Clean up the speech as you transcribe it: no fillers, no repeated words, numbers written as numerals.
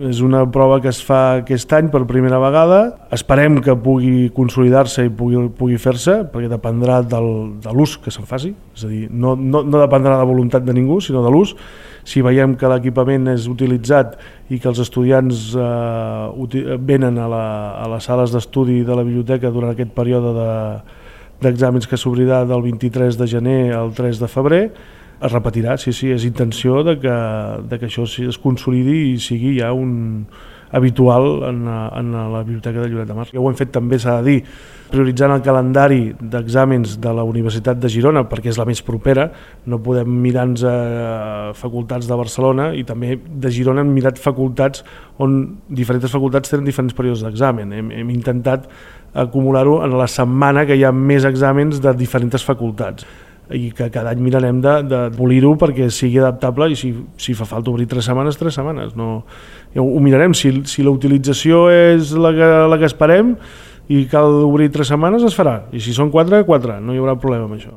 És una prova que es fa aquest any per primera vegada. Esperem que pugui consolidar-se i pugui fer-se, perquè dependrà de l'ús que se'n faci. És a dir, no dependrà de la voluntat de ningú, sinó de l'ús. Si veiem que l'equipament és utilitzat i que els estudiants venen a les sales d'estudi de la biblioteca durant aquest període d'exàmens que s'obrirà del 23 de gener al 3 de febrer, es repetirà, sí, és intenció de que això es consolidi i sigui ja un habitual en la Biblioteca de Lloret de Mar. Ja ho hem fet també, s'ha de dir, prioritzant el calendari d'exàmens de la Universitat de Girona, perquè és la més propera. No podem mirar-nos a facultats de Barcelona, i també de Girona hem mirat facultats on diferents facultats tenen diferents períodes d'examen. Hem intentat acumular-ho en la setmana que hi ha més exàmens de diferents facultats, i que cada any mirarem de polir-ho perquè sigui adaptable, i si fa falta obrir 3 setmanes. No, ho mirarem. Si la utilització és la que esperem i cal obrir 3 setmanes, es farà. I si són 4, no hi haurà problema amb això.